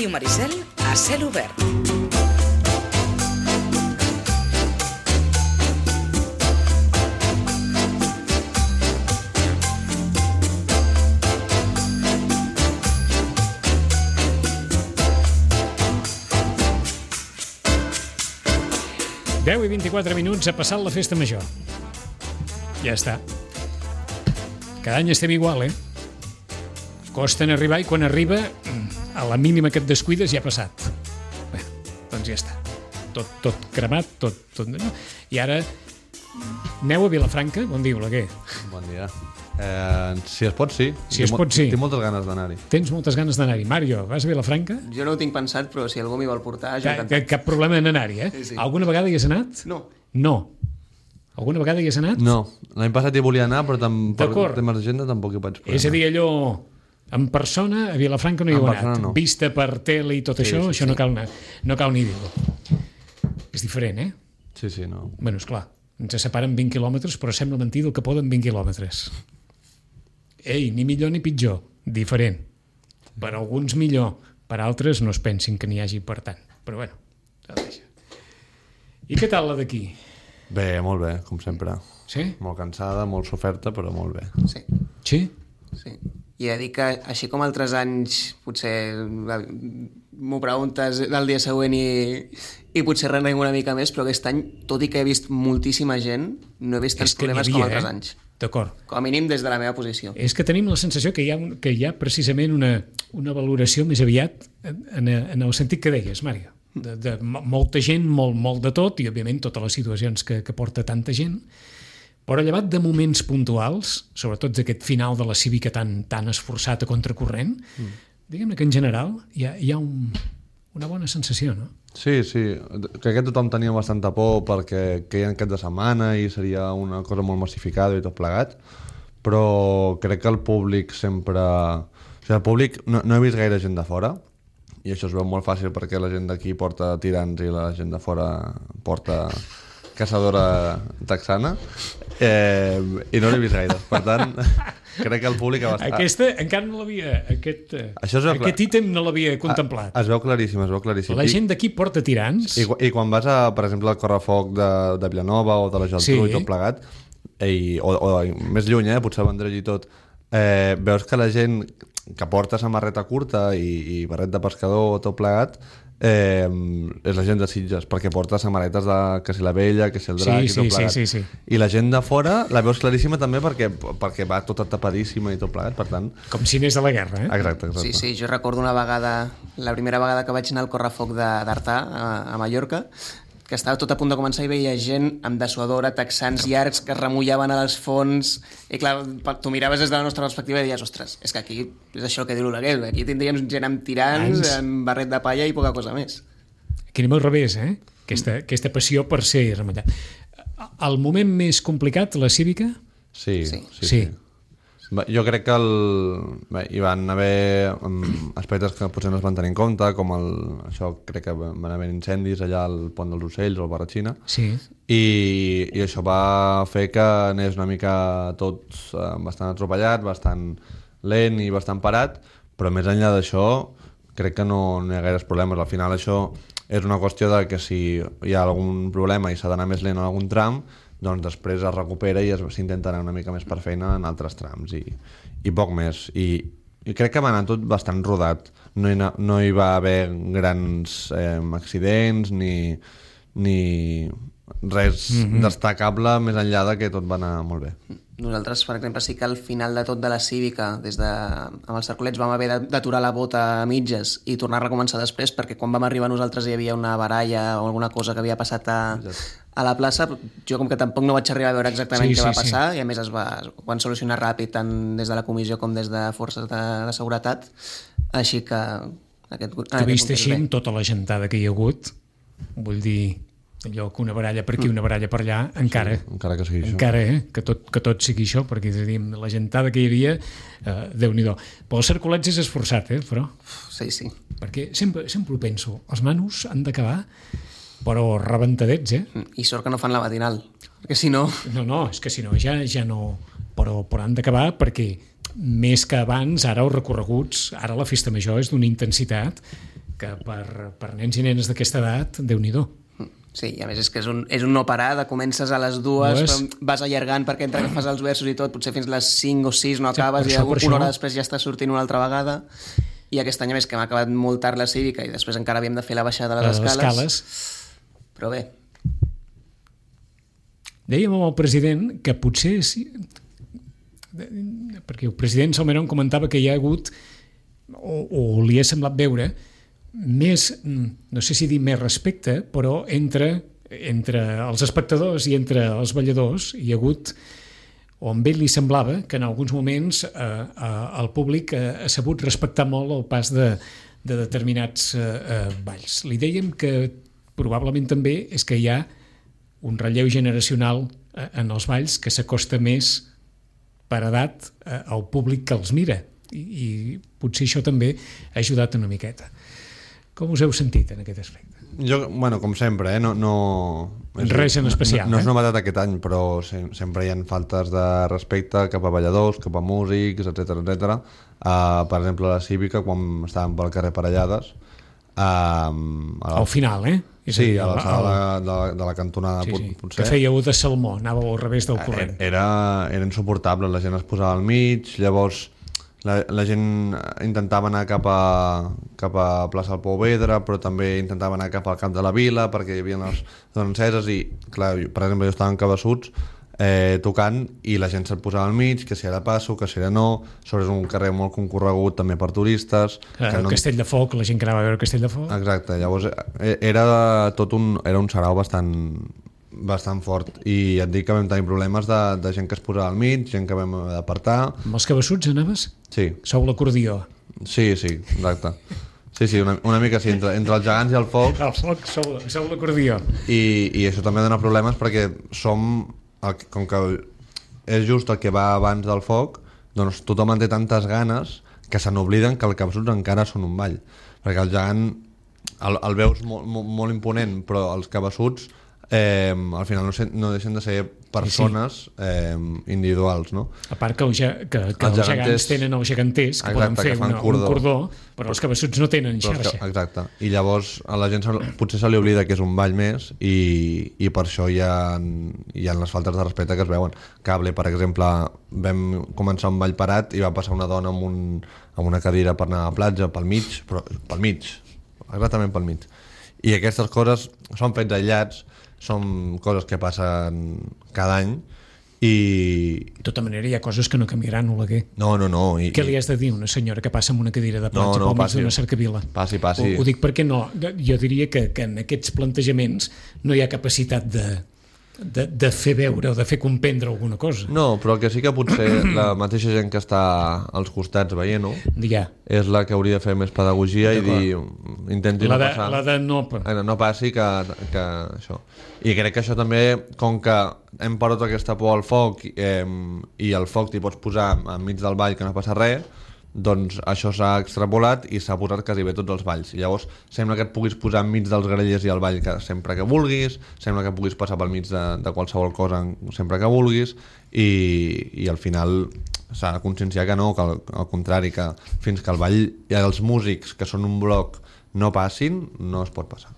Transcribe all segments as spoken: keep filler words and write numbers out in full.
Ràdio Maricel a cel obert. deu i vint-i-quatre minuts, ha passat la festa major. Ja està. Cada any estem igual, eh? Costa en arribar i quan arriba, a la mínima que et descuides ja ha passat. Bé, doncs ja està. Tot, tot cremat, tot... tot no? I ara, aneu a Vilafranca? Bon dia, Oleguer. Bon dia. Eh, si es pot, sí. Si es pot, sí. Tinc moltes ganes d'anar-hi. Tens moltes ganes d'anar-hi. Mario, vas a Vilafranca? Jo no ho tinc pensat, però si algú m'hi vol portar, jo Ca, cap, cap problema en anar-hi, eh? Sí, sí. Alguna vegada hi has anat? No. No. Alguna vegada hi has anat? No. L'any passat hi volia anar, però tam, per D'acord. temes d'agenda tampoc hi vaig poder És a dir, anar. allò... En persona, a Vilafranca no hi heu En anat. persona no. Vista per tele i tot Sí, això, sí, això sí. no cal, anar, no cal ni dir-ho. És diferent, eh? Sí, sí, no. Bé, esclar, ens separen vint quilòmetres, però sembla mentida el que poden vint quilòmetres. Ei, ni millor ni pitjor, diferent. Per alguns millor, per altres no es pensin que n'hi hagi per tant. Però bueno, ja ho deixa. I què tal la d'aquí? Bé, molt bé, com sempre. Sí? Molt cansada, molt soferta, però molt bé. Sí, Sí? sí. I he de dir que, així com altres anys, potser m'ho preguntes el dia següent i, i potser renegui una mica més, però aquest any, tot i que he vist moltíssima gent, no he vist tants És que n'hi problemes havia, com altres eh? anys. D'acord. Com a mínim des de la meva posició. És que tenim la sensació que hi ha, un, que hi ha precisament una, una valoració més aviat en, en, en el sentit que deies, Mario. De, de molta gent, molt, molt de tot, i òbviament totes les situacions que, que porta tanta gent, però llevat de moments puntuals, sobretot d'aquest final de la cívica tan, tan esforçat a contracorrent, mm. diguem-ne que en general hi ha, hi ha un, una bona sensació, no? Sí, sí. Crec que tothom tenia bastanta por perquè queien cap de setmana i seria una cosa molt massificada i tot plegat, però crec que el públic sempre... O sigui, el públic... No, no he vist gaire gent de fora, i això es veu molt fàcil perquè la gent d'aquí porta tirants i la gent de fora porta caçadora texana, eh, i no l'he vist gaire. Per tant, crec que el públic... Ha bastat... Aquesta encara no l'havia... Aquest, Això es veu aquest clar. ítem no l'havia contemplat. Es veu claríssim, es veu claríssim. La gent d'aquí porta tirants. I, i quan vas, a, per exemple, al Correfoc de, de Vilanova o de la Geltrú Sí. i tot plegat, i, o, o més lluny, eh, potser a Vendrell i tot, eh, veus que la gent que porta samarreta curta i, i barret de pescador o tot plegat, eh, és la gent de Sitges, perquè porta samarretes de que si la Vella, que si el Drac Sí, i tot sí, plegat. sí, sí, sí. I la gent de fora la veus claríssima també perquè, perquè va tota tapadíssima i tot plegat, per tant... Com si anés a la guerra, eh? Exacte, exacte. Sí, sí, jo recordo una vegada, la primera vegada que vaig anar al Correfoc de- d'Artà, a, a Mallorca, que estava tot a punt de començar i veia gent amb dessuadora, texans llargs que es remullaven a les fonts, i clar, tu miraves des de la nostra perspectiva i deies, ostres, és que aquí és això que diu l'Oleguer, aquí tindríem gent amb tirants, Ans. amb barret de palla i poca cosa més. Aquí anem al revés, eh? Aquesta, aquesta passió per ser remellat. El moment més complicat, la cívica? Sí, Sí. sí, sí. Sí. Bé, jo crec que el... Bé, hi van haver um, aspectes que potser no es van tenir en compte, com el... això crec que van haver incendis allà al Pont dels Ocells o al Barratxina, Sí. i, i això va fer que anés una mica tot uh, bastant atropellat, bastant lent i bastant parat, però més enllà d'això crec que no, no hi ha gaires problemes. Al final això és una qüestió de que si hi ha algun problema i s'ha d'anar més lent en algun tram, doncs després es recupera i es- s'intenta anar una mica més per feina en altres trams i, i poc més. I, i crec que va anar tot bastant rodat. No hi, na- no hi va haver grans eh, accidents ni, ni res mm-hmm. destacable més enllà de que tot va anar molt bé. Nosaltres, per exemple, sí que al final de tot de la cívica, des de, amb els cercolets, vam haver de- d'aturar la bota a mitges i tornar a recomençar després, perquè quan vam arribar nosaltres hi havia una baralla o alguna cosa que havia passat a, a la plaça. Jo, com que tampoc no vaig arribar a veure exactament Sí, què sí, va passar, sí. i a més es, va, es van solucionar ràpid tant des de la comissió com des de forces de, de seguretat, així que aquest, Tu vist així amb tota la gentada que hi ha hagut, vull dir, allò que una baralla per aquí, una baralla per allà, encara, Sí, encara que sigui això. encara, eh? Que tot, que tot sigui això, perquè és a dir, amb la gentada que hi havia, eh, Déu-n'hi-do. Però els cercolets és esforçat, eh? Però, Sí, sí. perquè sempre, sempre ho penso, els manos han d'acabar, però rebentadets, eh? I sort que no fan la matinal, perquè si no... No, no, és que si no, ja, ja no... Però, però han d'acabar perquè més que abans, ara els recorreguts, ara la festa major és d'una intensitat que per, per nens i nenes d'aquesta edat, Déu-n'hi-do. Sí, i a més és que és un, és un no parar, de comences a les dues, Dues. però vas allargant perquè entre que fas els versos i tot, potser fins les cinc o sis no acabes, per i això, per una això. hora després ja estàs sortint una altra vegada. I aquest any, a més, que hem acabat molt tard la cívica i després encara havíem de fer la baixada de les, Les escales. escales. Però bé, Dèiem amb el president que potser sí, perquè el president Salmerón comentava que hi ha hagut o, o li ha semblat veure més, no sé si dir més respecte, però entre, entre els espectadors i entre els balladors hi ha hagut, o amb ell li semblava que en alguns moments eh, eh, el públic eh, ha sabut respectar molt el pas de, de determinats eh, eh, balls. Li dèiem que probablement també és que hi ha un relleu generacional eh, en els balls que s'acosta més per edat eh, al públic que els mira i, i potser això també ha ajudat una miqueta. Com us heu sentit en aquest aspecte? Jo, bueno, com sempre, eh? no, no... Res en especial, no, no és eh? novetat aquest any, però se, sempre hi ha faltes de respecte cap a balladors, cap a músics, etcètera etcètera. Uh, per exemple, a la Cívica, quan estàvem pel carrer Parellades, uh, al final, eh? És Sí, dir, a la sala el- de, de, de la cantonada, sí, pot- sí, potser. que fèieu de salmó, anàveu al revés del corrent. Era, era insuportable, la gent es posava al mig, llavors la, la gent intentava anar cap a, cap a plaça del Pouvedre, però també intentava anar cap al camp de la vila perquè hi havia les dones enceses i, clar, jo, per exemple, jo estava en Cabeçuts eh, tocant i la gent se't posava al mig, que si era passo, que si era no, sobre un carrer molt concorregut també per turistes. Eh, que no... Castell de Foc, la gent que anava a veure Castell de Foc. Exacte, llavors eh, era tot un, era un sarau bastant, bastant fort i et dic que vam tenir problemes de, de gent que es posava al mig, gent que vam haver d'apartar. Amb els Cabeçuts anaves? Sí, Sou l'acordió. sí, sí, exacte. Sí, sí, una, una mica sí, entre, entre els gegants i el foc, El foc, sou, sou l'acordió. i, i això també dona problemes perquè som, el, que- com que és just el que va abans del foc, doncs tothom en té tantes ganes que se n'obliden que el Cabeçuts encara són un ball, perquè el gegant el, el veus molt, molt, molt imponent, però els Cabeçuts eh, al final no, se, no deixen de ser persones eh, individuals, no? A part que, el, ge- que, que Els els, els gegants geganters- tenen els geganters, que Exacte, poden fer que fan una, cordó. un cordó, però els Cabeçuts no tenen Però és xarxa. que, exacte, i llavors a la gent se, potser se li oblida que és un ball més i, i per això hi ha, hi ha les faltes de respecte que es veuen. Cable, per exemple, vam començar un ball parat i va passar una dona amb, un, amb una cadira per anar a la platja, pel mig, però pel mig, exactament pel mig. I aquestes coses són fets aïllats, són coses que passen cada any i... De tota manera, hi ha coses que no canviaran, Oleguer. No, no, no. I, Què li has de dir a una senyora que passa amb una cadira de No, platja no, pel mig passi. d'una cercavila? Passi, passi. Ho, ho dic perquè no. Jo diria que, que en aquests plantejaments no hi ha capacitat de, de, de fer veure o de fer comprendre alguna cosa. No, però que sí que potser la mateixa gent que està als costats veient-ho Ja. és la que hauria de fer més pedagogia i dir, intenti La no de, passar, la de no... eh, no passi que, que això. I crec que això també, com que hem perdut aquesta por al foc eh, i el foc t'hi pots posar enmig del ball que no passa res, doncs això s'ha extrapolat i s'ha posat quasi bé tots els balls. I llavors sembla que et puguis posar enmig dels grellers i el ball que, sempre que vulguis, sembla que puguis passar pel mig de, de qualsevol cosa sempre que vulguis i, i al final s'ha de conscienciar que no, que al, al contrari, que fins que el ball i els músics que són un bloc no passin, no es pot passar.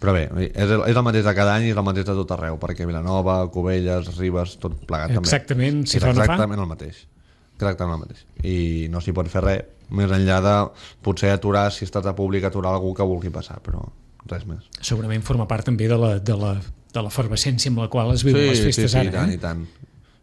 Però bé, és el, és el mateix de cada any i és el mateix de tot arreu, perquè Vilanova, Cubelles, Ribes, tot plegat també. Exactament, si és fa o no fa. exactament el mateix. Exactament el mateix. I no s'hi pot fer res, més enllà de potser aturar, si estàs a públic, aturar algú que vulgui passar, però res més. Segurament forma part també de la, de la, de l'efervescència amb la qual es viuen les sí, festes sí, ara. i tant, eh? i tant.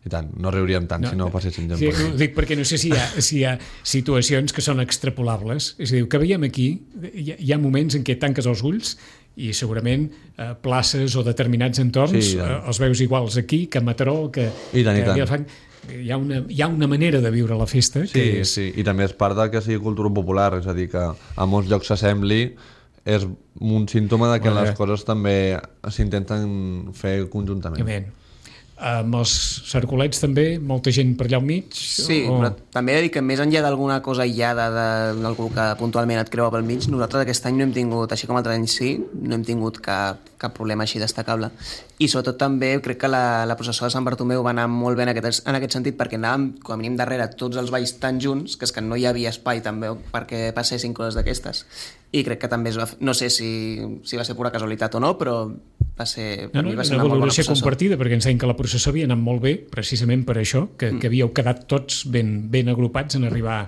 I tant, no riuríem tant no, si no passessin gent Sí, per ho aquí. dic perquè no sé si hi, ha, si hi ha situacions que són extrapolables. És a dir, que veiem aquí, hi ha, hi ha moments en què tanques els ulls i segurament eh, places o determinats entorns Sí, eh, els veus iguals aquí que a Mataró, que, I tant, i que a tant. Vilafranca. Hi ha, una, hi ha una manera de viure la festa Sí, que és... sí, i també és part de que sigui cultura popular, és a dir, que a molts llocs s'assembli, és un símptoma de que Molt bé. les coses també s'intenten fer conjuntament. Evident. Amb els cercolets també, molta gent per allà al mig? sí, o... però també he de dir que més enllà d'alguna cosa aïllada d'algú que puntualment et creua pel mig, nosaltres aquest any no hem tingut, així com altres anys sí, no hem tingut cap cap problema així destacable. I sobretot també crec que la, la processó de Sant Bartomeu va anar molt bé en aquest, en aquest sentit, perquè anàvem com a mínim darrere tots els balls tan junts que és que no hi havia espai també perquè passessin coses d'aquestes. I crec que també es va, no sé si, si va ser pura casualitat o no, però va ser, per no, no, mi va ser una, una molt bona valoració processó. compartida, perquè ens deien que la processó havia anat molt bé precisament per això, que, mm. que havíeu quedat tots ben, ben agrupats en arribar,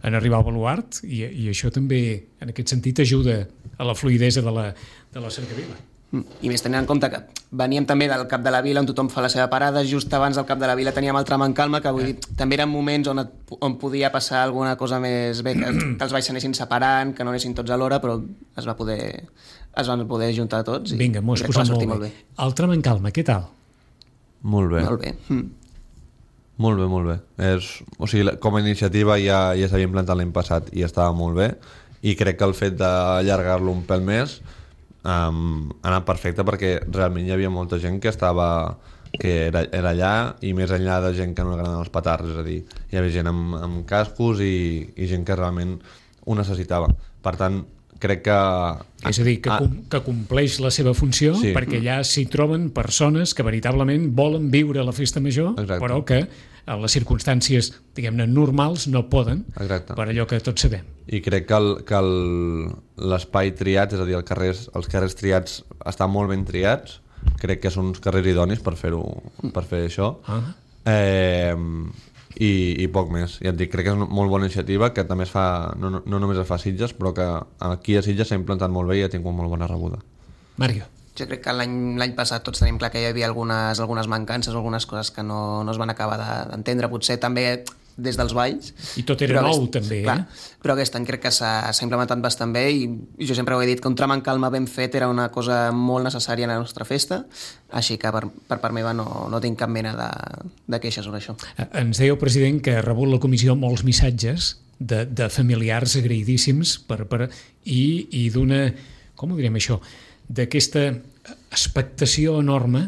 en arribar al baluart, i, i això també en aquest sentit ajuda a la fluidesa de la, de la cercavila. I més tenint en compte que veníem també del Cap de la Vila on tothom fa la seva parada, just abans del Cap de la Vila teníem el tram en calma, que vull dir, també eren moments on, et, on podia passar alguna cosa més bé, que, que els balls s'anessin separant, que no anessin tots alhora, però es va poder, es van poder juntar tots i vinga, m'ho has crec que va posat sortir molt molt bé. bé. El tram en calma, què tal? Molt bé. Molt bé. Mm. Molt bé, molt bé. És, o sigui, com a iniciativa ja, ja s'havia implantat l'any passat i estava molt bé, i crec que el fet d'allargar-lo un pèl més um, ha anat perfecte, perquè realment hi havia molta gent que estava que era, era allà, i més enllà de gent que no agradaven els petards, és a dir, hi havia gent amb, amb cascos i, i gent que realment ho necessitava. Per tant, crec que... És a dir, que, ah, com, que compleix la seva funció, sí. perquè allà s'hi troben persones que veritablement volen viure la festa major, exacte. Però que en les circumstàncies, diguem-ne, normals no poden, exacte. Per allò que tots sabem. I crec que el, que el, l'espai triat, és a dir, el carrers, els carrers triats estan molt ben triats, crec que són uns carrers idonis per fer-ho, per fer això. Ah. Eh, i, i poc més. Ja et dic, crec que és una molt bona iniciativa, que també es fa, no, no, no només es fa a Sitges, però que aquí a Sitges s'ha implantat molt bé i ha tingut molt bona rebuda. Mario. Jo crec que l'any l'any passat tots tenim clar que hi havia algunes, algunes mancances, algunes coses que no, no es van acabar de, d'entendre, potser també des dels balls. I tot era però nou, aquest, també, clar, eh? Però aquest any crec que s'ha, s'ha implementat bastant bé, i, i jo sempre ho he dit, que un tram en calma ben fet era una cosa molt necessària en la nostra festa, així que per, per part meva no, no tinc cap mena de, de queixa sobre això. Ens deia el president que ha rebut la comissió molts missatges de, de familiars agraïdíssims per, per, i, i d'una, com ho direm això, d'aquesta expectació enorme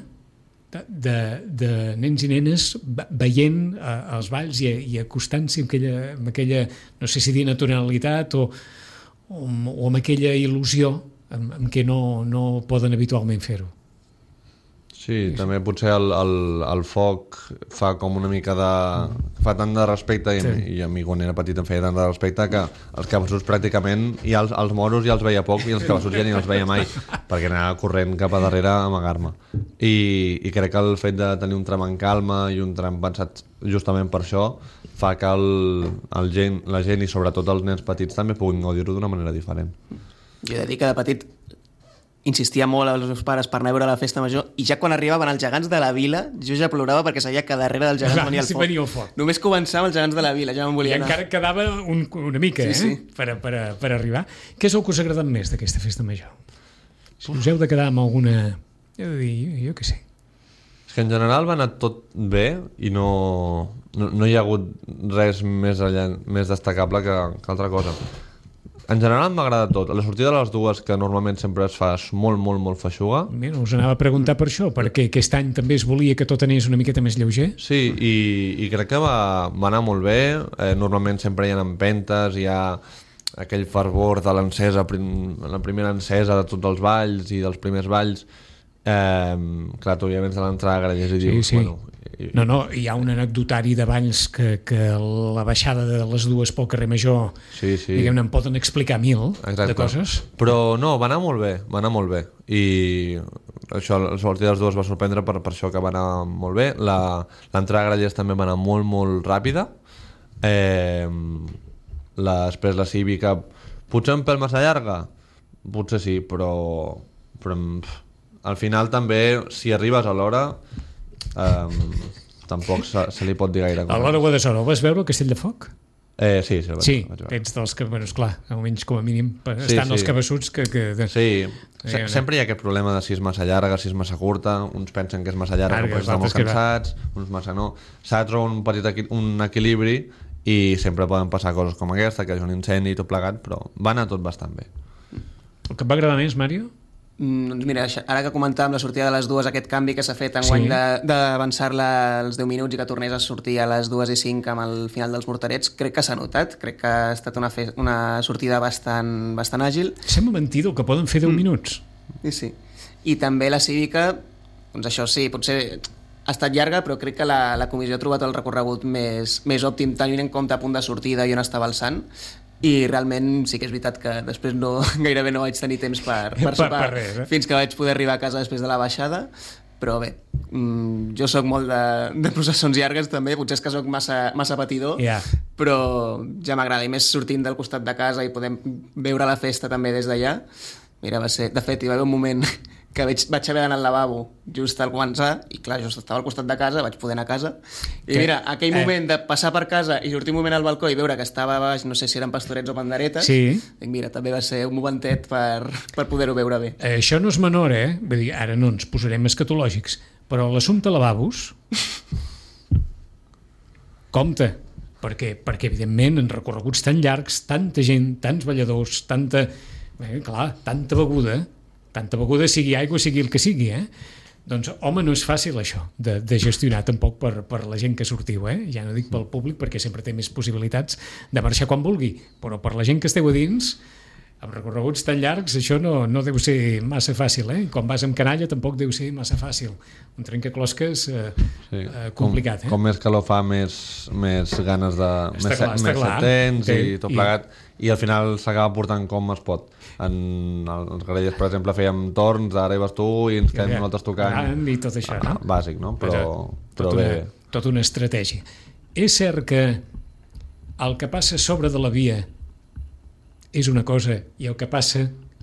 de, de, de nens i nenes veient eh, els balls i, i acostant-s'hi amb aquella, amb aquella, no sé si dir naturalitat o, o, o amb aquella il·lusió amb, amb què no, no poden habitualment fer-ho. Sí, també potser el, el, el foc fa com una mica de... fa tant de respecte, i, sí. i a mi quan era petit em feia tant de respecte, que els cabassuts pràcticament, i els, els moros ja els veia poc, i els cabassuts ja ni els veia mai, perquè anava corrent cap a darrere a amagar-me. I, I crec que el fet de tenir un tram en calma i un tram pensat justament per això fa que el, el gent, la gent i sobretot els nens petits també puguin gaudir-ho d'una manera diferent. Jo he de dir que de petit insistia molt als meus pares per anar a veure la festa major, i ja quan arribaven els gegants de la vila jo ja plorava perquè sabia que darrere dels gegants venia el sí, foc. venia el foc. Només començava els gegants de la vila, ja me'n volia I anar. encara quedava un, una mica, sí, eh? Sí. Per, per, per arribar. Què és el que us ha agradat més d'aquesta festa major? Si us heu de quedar amb alguna... Jo, dir, jo, jo què sé. És que en general va anar tot bé i no, no, no hi ha hagut res més, allà, més destacable que, que altra cosa. En general m'ha agradat tot. La sortida de les dues, que normalment sempre es fa molt, molt, molt feixuga. Mira, us anava a preguntar per això, perquè aquest any també es volia que tot anés una miqueta més lleuger. Sí, i, i crec que va, va anar molt bé. Eh, normalment sempre hi ha empentes, hi ha aquell fervor de l'encesa, la primera encesa de tots els balls i dels primers balls. Eh, clar, tu ja vens de l'entrada a Grallers i Sí, dius, sí. bueno... I, No, no, hi ha un anecdotari de balls que, que la baixada de les dues pel carrer Major, sí, sí. diguem-ne, en poden explicar mil Exacte. de coses. Però no, va anar molt bé, va anar molt bé. I això, la sortida de les dues va sorprendre per, per això que va anar molt bé. La, l'entrada a Grallers també va anar molt, molt ràpida. Eh, la, després la cívica, potser un pèl massa llarga? Potser sí, però, però pff, al final també, si arribes a l'hora, eh, tampoc se, se li pot dir gaire cosa. A l'hora Guadassuar, el vas veure, el Castell de Foc? Eh, sí, sí, el vaig, Sí, el vaig veure. ets dels que, bueno, esclar, almenys com a mínim, Sí, estan sí. els cabassuts que... que de... Sí, se Eh, sempre hi ha aquest problema de si és massa llarga, si és massa curta, uns pensen que és massa llarga, Llarga, però estan molt altres que no. cansats, uns massa no. S'ha de trobar un petit equi un equilibri i sempre poden passar coses com aquesta, que és un incendi i tot plegat, però va anar tot bastant bé. El que et va agradar més, Mario? Mm, doncs mira, ara que comentàvem la sortida de les dues, aquest canvi que s'ha fet enguany Sí. sí. d'avançar-la als deu minuts i que tornés a sortir a les dues i cinc amb el final dels morterets, crec que s'ha notat, crec que ha estat una, fe una sortida bastant, bastant àgil. Sembla mentida el que poden fer deu minuts. Sí, sí. I també la cívica, doncs això sí, potser ha estat llarga, però crec que la, la comissió ha trobat el recorregut més, més òptim, tenint en compte a punt de sortida i on estava el Sant, i realment sí que és veritat que després no, gairebé no vaig tenir temps per, per sopar per res, eh? fins que vaig poder arribar a casa després de la baixada, però bé, mmm, jo sóc molt de, de processons llargues també, potser és que sóc massa, massa patidor, Yeah. però ja m'agrada, i més sortint del costat de casa i podem veure la festa també des d'allà. Mira, va ser, de fet, hi va haver un moment que vaig, vaig haver d'anar al lavabo just al començar, i clar, jo estava al costat de casa, vaig poder anar a casa, i que, mira, aquell eh. moment de passar per casa i sortir un moment al balcó i veure que estava a baix, no sé si eren pastorets o panderetes, Sí. dic, mira, també va ser un momentet per, per poder-ho veure bé. Eh, això no és menor, eh? Vull dir, ara no ens posarem escatològics, però l'assumpte lavabos compte, perquè, perquè evidentment en recorreguts tan llargs, tanta gent, tants balladors, tanta, eh, clar, tanta beguda, tanta beguda, sigui aigua, sigui el que sigui, eh? Doncs, home, no és fàcil això de, de gestionar tampoc per, per la gent que sortiu, eh? Ja no dic pel públic perquè sempre té més possibilitats de marxar quan vulgui, però per la gent que esteu a dins, amb recorreguts tan llargs, això no, no deu ser massa fàcil, eh? Quan vas amb canalla tampoc deu ser massa fàcil. Un trencaclosques eh, Sí. eh, complicat, com, eh? com més calor fa, més, més ganes de... Està més, clar, està més clar. tens Sí, i tot i- plegat, i al final s'acaba portant com es pot. En els Grallers, per exemple, fèiem torns, ara hi vas tu i ens quedem nosaltres tocant. I tot això, no? Bàsic, no? Però, però tota bé... una, tota una estratègia. És cert que el que passa sobre de la via és una cosa i el que passa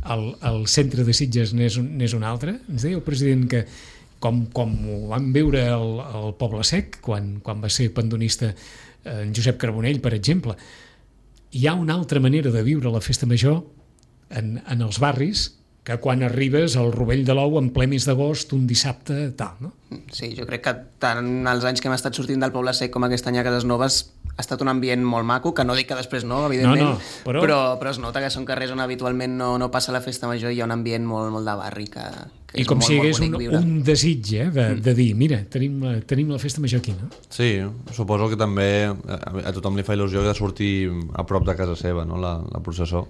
al, al centre de Sitges n'és un, n'és una altra? Ens deia el president que com, com ho vam veure al, al Poble Sec, quan, quan va ser pandonista eh, en Josep Carbonell, per exemple, hi ha una altra manera de viure la festa major en, en els barris que quan arribes al Rovell de l'Ou en ple mes d'agost, un dissabte, tal, no? Sí, jo crec que tant els anys que hem estat sortint del Poble Sec com aquest any a Cases Noves ha estat un ambient molt maco, que no dic que després no, evidentment, No, no, però- però... Però, es nota que són carrers on habitualment no, no passa la festa major i hi ha un ambient molt, molt de barri que, que I és com molt, si hi hagués molt un, bonic viure. un desig eh, de, de dir, mira, tenim la, tenim la festa major aquí, no? Sí, suposo que també a, a tothom li fa il·lusió de sortir a prop de casa seva, no? la, la processó.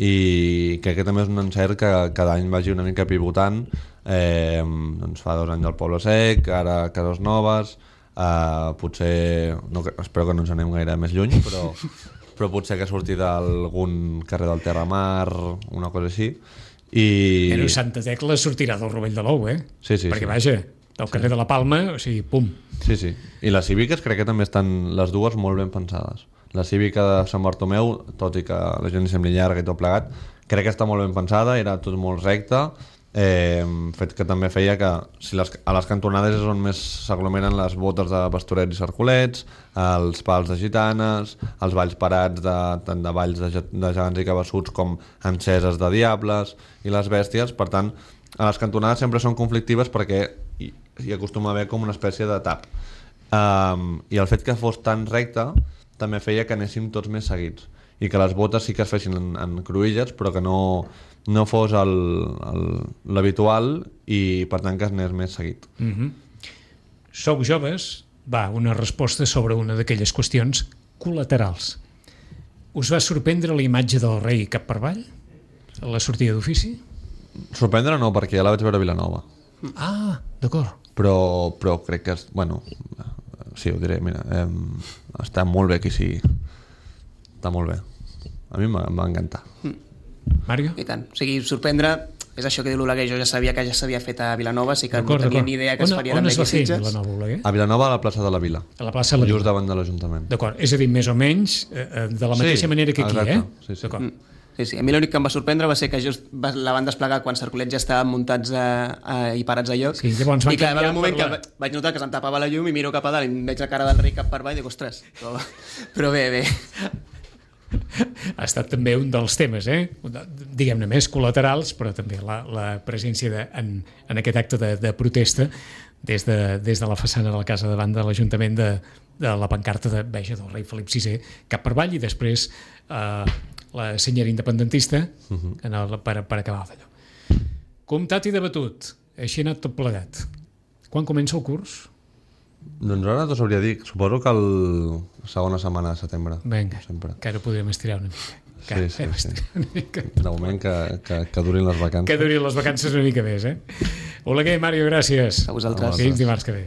I crec que també és un encert que cada any vagi una mica pivotant. Eh, doncs fa dos anys al Poble Sec, ara a Cases Noves, eh, potser, no, espero que no ens anem gaire més lluny, però, però potser que surti d'algun carrer del Terramar, una cosa així. I... Però Santa Tecla sortirà del Rovell de l'Ou, eh? Sí, sí, Perquè, sí. vaja, del carrer de la Palma, o sigui, pum. Sí, sí. I les cíviques crec que també estan les dues molt ben pensades. La cívica de Sant Bartomeu, tot i que la gent li sembli llarga i tot plegat, crec que està molt ben pensada, era tot molt recte, eh, fet que també feia que si les, a les cantonades és on més s'aglomeren les botes de pastorets i cercolets, els pals de gitanes, els balls parats de, tant de balls de, ge- de gegants i cabassuts com enceses de diables i les bèsties. Per tant, a les cantonades sempre són conflictives perquè hi, hi acostuma a haver com una espècie de tap. Um, I el fet que fos tan recte també feia que anéssim tots més seguits i que les botes sí que es fessin en, en cruïlles, però que no, no fos el, el, l'habitual i per tant que es anés més seguit. Mm -hmm. Sou joves, va, una resposta sobre una d'aquelles qüestions col·laterals. Us va sorprendre la imatge del rei cap per avall? A la sortida d'ofici? Sorprendre no, perquè ja la vaig veure a Vilanova, Ah, d'acord. però, però crec que és, bueno, sí, ho diré, mira, eh, està molt bé aquí, sí, està molt bé, a mi em va, em va encantar. Mario? I tant. O sigui, sorprendre és això que diu l'Oleguer, jo ja sabia que ja s'havia fet a Vilanova, sí que no D'acord, tenia d'acord. ni idea que es On- faria on també es va aquí a fer Sitges. la nova Oleguer? A Vilanova, a la plaça de la Vila, A la plaça de la just Vila. davant de l'Ajuntament. D'acord, és a dir, més o menys eh, eh, de la mateixa Sí, manera que aquí, exacte, eh? sí, sí. D'acord. Sí, sí. A mi l'únic que em va sorprendre va ser que just va, la van desplegar quan Cercolets ja estaven muntats a, a, i parats a lloc. Sí, llavors van I clar, va haver un canviar moment per que la- va- vaig notar que se'm tapava la llum i miro cap a dalt i em veig la cara del rei cap per avall i dic, ostres, però, però bé, bé. Ha estat també un dels temes, eh? diguem-ne més col·laterals, però també la, la presència de, en, en aquest acte de, de protesta des de, des de la façana de la casa davant de l'Ajuntament de, de la pancarta de veja del rei Felip sisè cap per avall i després eh, la senyera independentista uh-huh. en el, per, per acabar d'allò. Comptat i debatut, així ha anat tot plegat. Quan comença el curs? Doncs ara t'ho sabria dir, suposo que el segona setmana de setembre. Vinga, Sempre. que ara podrem estirar una mica. Sí, sí, hem sí. estirat una mica. De moment que, que, que durin les vacances. Que durin les vacances una mica més, eh? Oleguer, Mario, gràcies. A vosaltres. Fins dimarts que ve.